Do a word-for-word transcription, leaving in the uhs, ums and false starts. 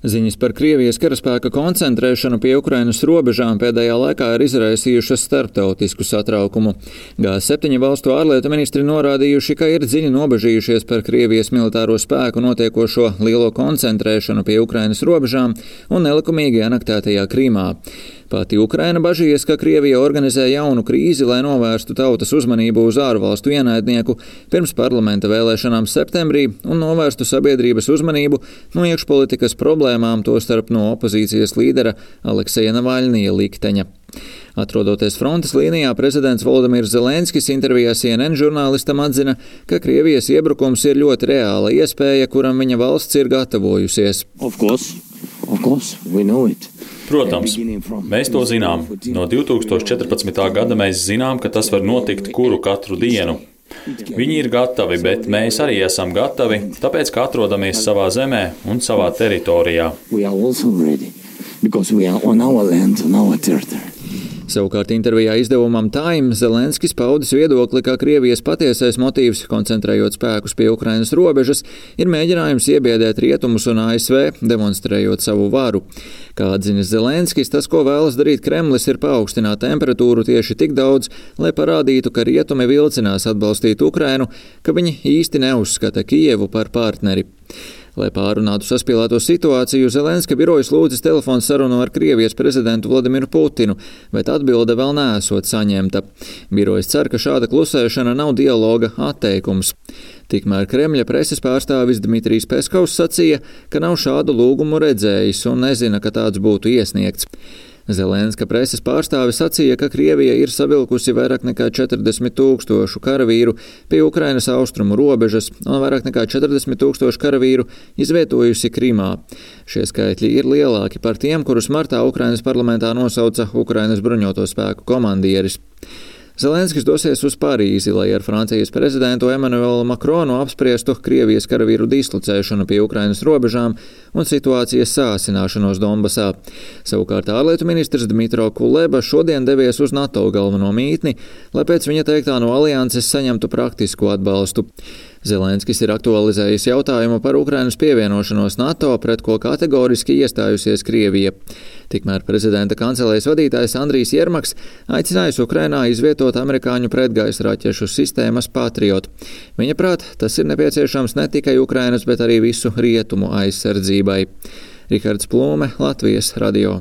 Ziņas par Krievijas karaspēka koncentrēšanu pie Ukrainas robežām pēdējā laikā ir izraisījušas starptautisku satraukumu. G septiņu valstu ārlietu ministri norādījuši, ka ir dziļi nobežījušies par Krievijas militāro spēku notiekošo lielo koncentrēšanu pie Ukrainas robežām un nelikumīgi anektētajā Krīmā. Pati Ukraina bažījies, ka Krievija organizē jaunu krīzi, lai novērstu tautas uzmanību uz ārvalstu ienaidnieku pirms parlamenta vēlēšanām septembrī un novērstu sabiedrības uzmanību no iekšpolitikas problēmām, tostarp no opozīcijas līdera Alekseja Navaļnija likteņa. Atrodoties frontes līnijā, prezidents Volodimirs Zelenskis intervijā C N N žurnālistam atzina, ka Krievijas iebrukums ir ļoti reāla iespēja, kuram viņa valsts ir gatavojusies. Of course. Of course. We know it. Protams, mēs to zinām. No divi tūkstoši četrpadsmitā gada mēs zinām, ka tas var notikt kuru katru dienu. Viņi ir gatavi, bet mēs arī esam gatavi, tāpēc, ka atrodamies savā zemē un savā teritorijā. Savukārt intervijā izdevumam Time Zelenskis paudis viedokli, ka Krievijas patiesais motīvs, koncentrējot spēkus pie Ukrainas robežas, ir mēģinājums iebiedēt rietumus un A S V, demonstrējot savu varu. Kā atzinis Zelenskis, tas, ko vēlas darīt Kremlis, ir paaugstināt temperatūru tieši tik daudz, lai parādītu, ka rietumi vilcinās atbalstīt Ukrainu, ka viņi īsti neuzskata Kijevu par partneri. Lai pārunātu saspīlēto situāciju, Zelenska birojas lūdzis telefonu sarunu ar Krievijas prezidentu Vladimiru Putinu, bet atbilde vēl neesot saņemta. Birojas cer, ka šāda klusēšana nav dialoga atteikums. Tikmēr Kremļa preses pārstāvis Dmitrijs Peskovs sacīja, ka nav šādu lūgumu redzējis un nezina, ka tāds būtu iesniegts. Zelenska preses pārstāvis sacīja, ka Krievija ir savilkusi vairāk nekā četrdesmit tūkstošu karavīru pie Ukrainas austrumu robežas un vairāk nekā četrdesmit tūkstošu karavīru izvietojusi Krimā. Šie skaitļi ir lielāki par tiem, kurus martā Ukrainas parlamentā nosauca Ukrainas bruņoto spēku komandieris. Zelenskis dosies uz Parīzi, lai ar Francijas prezidentu Emmanuelu Macronu apspriestu Krievijas karavīru dislocēšanu pie Ukrainas robežām un situācijas sāsināšanos Donbasā. Savukārt ārlietu ministrs Dmitro Kuleba šodien devies uz NATO galveno mītni, lai pēc viņa teiktā no alianses saņemtu praktisku atbalstu. Zelenskis ir aktualizējis jautājumu par Ukrainas pievienošanos NATO, pret ko kategoriski iestājusies Krievija. Tikmēr prezidenta kancelējas vadītājs Andrijs Jermaks aicinājis Ukrainā izvietot amerikāņu pretgaisa raķešu sistēmas Patriot. Viņa prāt, tas ir nepieciešams ne tikai Ukrainas, bet arī visu rietumu aizsardzībai. Rihards Plūme, Latvijas radio.